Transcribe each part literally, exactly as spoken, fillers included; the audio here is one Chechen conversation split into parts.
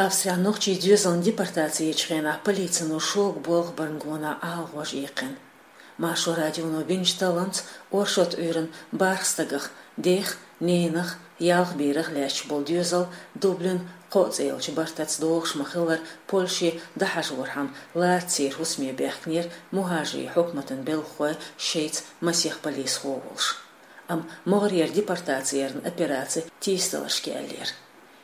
Австрехь нохчий доьзалан депортаци ечу хенахь полицино шога болх барна гонах Ӏалагӏожа иккхина. Маршо радионо бинчу талламца оршот Ӏуьйранна бархӀ стагах, дех, ненах, ялх берах лаьтташ болу доьзал Дублин кхоъ цӀе йолчу бартаца догӀуш ма-хиллара, Польше дӀахьажорхьама лаьцна церан хӀусаме баьхкинера мухӀажарийн хьукматан белхахой шайца масех полисхо а волуш. Амма могӀарера депортаци ярна операци тийсадаларш кхиаеллера.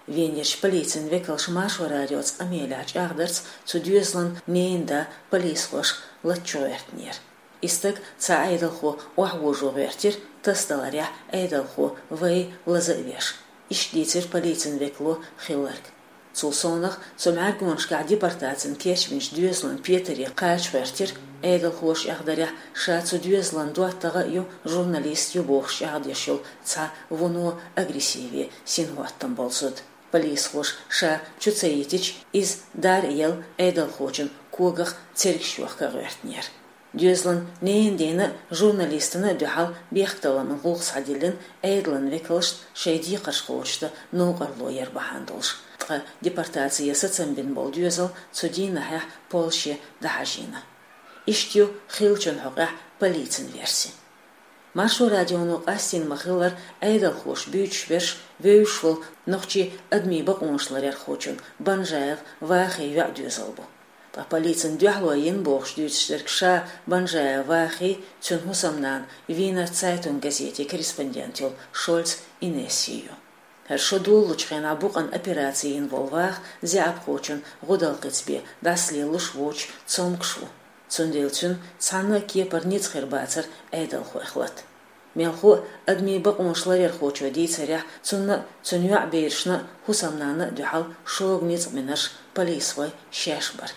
Венерчу полицин векалша Маршо радиоца къамелехь чӀагӀдарца цу доьзалан ненан да полисхоша лата чу гӀоьртинера. И стаг цхьа Ӏедалхо охьавожо гӀоьртира, тасадаларехь Ӏедалхо вай лаза а веш. Иштта дийцира полицин векало хилларг. Цул совнах, цу мӀаьргонашкахь депортацин кечбинчу доьзалан петаре кхача гӀоьртира, Ӏедалхоша эхь дарехь, ша цу доьзалан доттагӀа а ю, журналист а ю бохуш чӀагӀдеш йолу цхьа вуно агрессиве синхӀоттам болу зуда. Полисхоша ша чу ца йитича, иза дар а елла, Ӏедалхочун когах цергаш йохка гӀоьртинера. Доьзалан ненан дена а, журналистана а дуьхьал бехктакхаман гӀуллакх схьадиллина Ӏедалан векалшна шайн декхарш кхочушдан новкъарло яр бахьана долуш. Ткъа депортаци ян сацам бина болу доьзал цу дийнахьехь Польше дӀахьажийна. Иштта ю хиллачун хьокъехь полицин верси. Маршо радионо къастийна ма-хиллара, Ӏедалхоша буьйцуш берш вевзаш волу нохчийн адамийн бакъонашларъярхочун Банжаев Вахин йоӀ доьзал бу. Ткъа полицин дуьхьало йина бохуш дуьйцуш дерг ша Банжаев Вахин, цуьнан хӀусамнана, Вийнер Цайтунг газетин корреспондент йолу Шольц Инесси ю. ХӀара шо долалучу хенахь букъана операци йина волу Ваха заьӀапхочун гӀудалкхица бен дӀасалелалуш воцуш цомгуш ву. Цундела цуьнан цхьанна а кепара ницкъ хир бацара Ӏедалхойх лата. Мелхо а, адамийн бакъонаш ларъярхочо дийцарехь, цунна а, цуьнан йоӀ-берашна а, хӀусамнанна а дуьхьал шога ницкъ бинарш полисхой шаьш бара.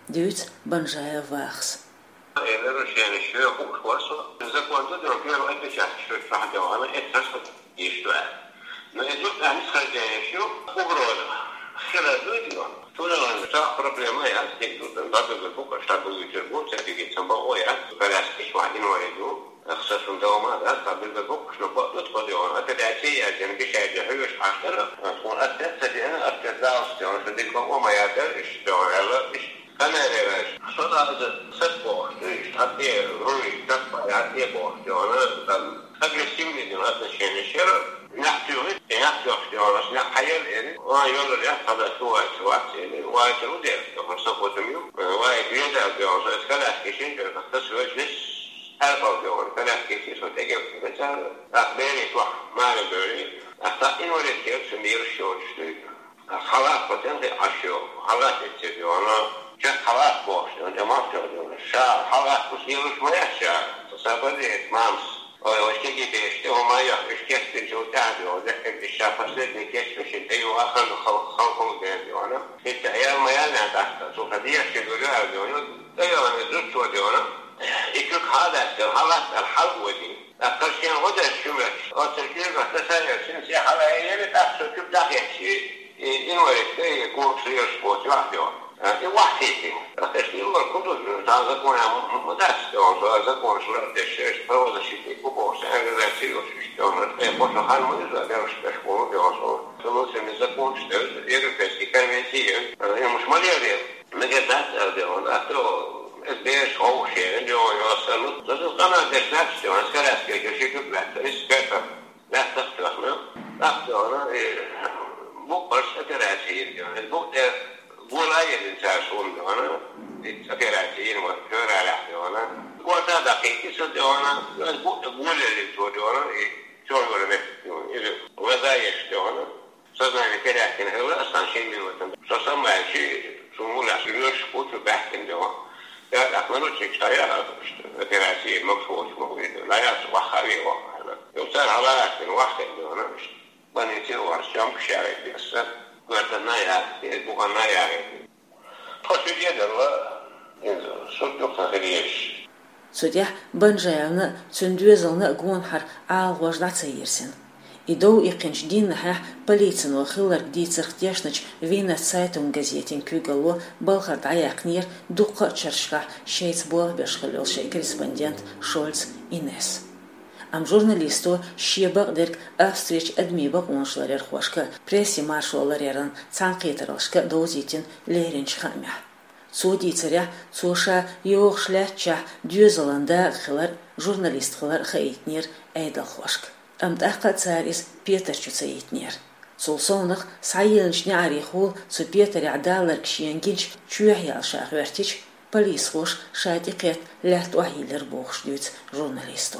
Дуьйцу Банжаев Вахас. Э, нарушение шуьга хууш вара со. Закон ду, первый отпечаток шуьга чохь догӀана, это раз иштта. Но и тут они схождение шу угроза. Хила дуйла. Туна ван ца проблема я, стиг тут, бабы бу, ша бу, ю бу, ца диги ца бу, я, коляски шуьга инвалид ду. Ахса сун дома, да, ца бу, бу, шуьга бу, тут ходи он. Опять я, я, я, бишай, я, хьуьш, ахтара, он отец, я, отец, да, что он, что дико, о, моя, да, и что, я, и Камерера, со даза сатбохуш, то есть, хьан тӀе руй, таппа, хьан тӀе бохуш, йона, там, агрессивный дин отношение шера, нах тюгит, и нах тюгит, йона, нах хаял эри, ва йона, я, хада, шувай, шувай, эри, вай, ту дер, то, со, вот, ю, вай, беда, йона, со, эскалаш, кишин, то, как-то свой здесь, арбал, йона, калаш, кишин, со, теге, беда, так, бери, тух, мари, бери, а так, и, вот, это, все, мир, что, что, Халат потенхи ашо, халат эццеги вана, чак халат бохш, он де мартё дона. Ша, халат кус йылыш моя ша, сабаде эт мамс. Ой, ой, кеги беште, о моя, ишкет пин чул тяди, о, де эт иша последний кеч мишин, эй, о, ахан хал, хал, хал, де, де вана. Эт аял моя на дакта, су хадия ши гуля, де вана. Эй, о, не зут чо, де вана. И чук халат, халат, ал хал, води. Аккаршен гӀо деш шуьгаш, оцу куьйгах тасаяр шин се хьалаелира, тӀаккха со куьг дӀахецчи, и, инвалид, и, курс еш боцу вахьдо. А, и вахьтийти. Тхеш иллар кудур, цхьа закон ма дац, тхо, цхьа законаш лардеш, правозащитник бу бохуш, организаци йолуш, иштта, тхе кхо шо хан ма иза, дерш беш болу, тхо, со, со, со, законаш, европейский конвенции, а, и муш ма лердер. Мегар дац аьлла де ван, а то, эс бераш ховшера, де ван, йоссарну. Зато къамел деш набча де ван, скоряцкий, ши куьг лаьтта, рис кертам. Лаьттах тоьхна, лаьттах тоьхна, э, букъ барш операция йира де ван. Эс букъ тӀе гула йирин цара суна де ван, и операция йина ван, февралехь де ван. Горта дакхийти со де ван, эс букъ тӀе гула йирин цо де ван, и чойгула метр де ван, или глаза еш де ван. Сознание терять хилла асан шин минутан. Со самаьлчи, сун мулас лоьш кучу баьхкина де ван. Я так наручник цхьа яра, операция могу шоуч могу иду. Лаяс вахави вахана. Юцар халараткин вахтин де ван. Больнице ван, съёмка шарит бесса. Гвардана я, бухана я. Тхо ши дедалла, иза, суд дукха хир еш. Цу тӀехь Банжаевна а, цуьнан доьзална а гонахьара Ӏалагӏожа дӀа ца йирсина. И дов иккхинчу дийнахьехь полицино хилларг дийцарх тешначу Вийнер Цайтунг газетин куьйгалло балхара дӀаяьккхинера дуккха а чаршкахь шайца болх беш хилла йолу шайн корреспондент Шольц Инес. Амма журналисто шен бакъдерг Австрерчу адамийн бакъонаш ларъярхошка, прессин маршо ларъяран цхьаьнакхетараллашка довзийтина леринчу хаамехь. Цо дийцарехь, цо ша йогӀуш лаьттачохь доьзалан дакъа хилар, журналист хилар хаийтинера Ӏедалхошка. Амма тӀаккха а цара иза петар чу ца йитинера. Цул совнаха схьайиллинчу неӀарехула цу петарехь даларг шена гинчу чоьхьаяьлла ша гӀоьртича, полисхоша ша тӀекхетта лаьтта охьайиллира бохуш дуьйцу журналисто.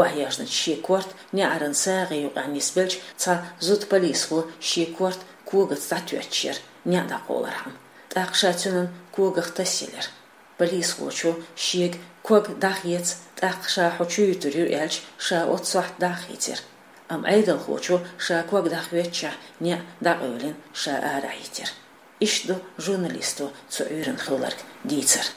Охьаязначу шен корта неӀаран сагӀи юкъахь нисбелча, цхьа зуда полисхо шен корта когаца дӀатоьттуш яра, неӀ дӀакхоллархьама. ТӀаккха ша цуьнан когах тасъелира. Полисхочо шега ког дӀахеца, тӀаккха ша хьо чу юьтур ю аьлча, ша оццу сохьта дӀахийцира. Амма Ӏедалхочо ша ког дӀахоьттучехь неӀ дӀакъевлина, ша арахь йитира. Иштта ду журналисто цу Ӏуьйранна хилларг дийцар.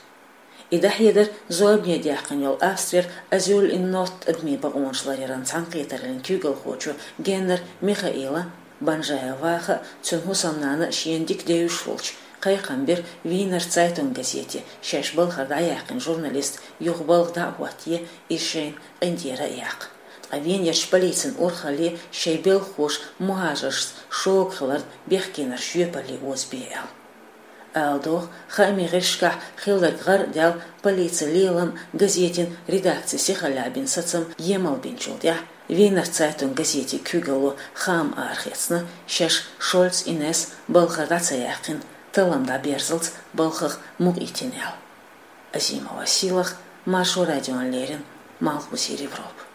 И дӀахьедар зорбане даьккхина йолу Австрера Азюль ин Норд адамийн бакъонаш ларъяран цхьаьнакхетараллин куьйгалхочо Геннер Михаила. Банжаев Ваха а, цуьнан хӀусамнана а шена дика девзаш волчу кхайкхам бира Вийнер Цайтунг газете, шаьш балхара дӀаяьккхина журналист юха балха дӀа а хӀоттае, иза шайна къинтӀера а яккха. Ткъа Венерчу полицин урхалле шайн белхахоша мухӀажаршца шога хиларна бехкенарш жоьпалле озабе аьлла. Ала догӀу, хаамийн гӀирсашкахь хилларг гӀар а даьлла, полицин лелам а, газетин редакцин сихаллехь бина сацам а емал бинчул тӀаьхьа, Вийнер Цайтунг газетин куьйгалло хаам арахецна, шаьш Шольц Инесс балхара дӀа ца яьккхина, таллам дӀаберзалц балхах мукъайитина аьлла. Азимова Сийлаха, Маршо радиона леррина, Малхбузера Европа.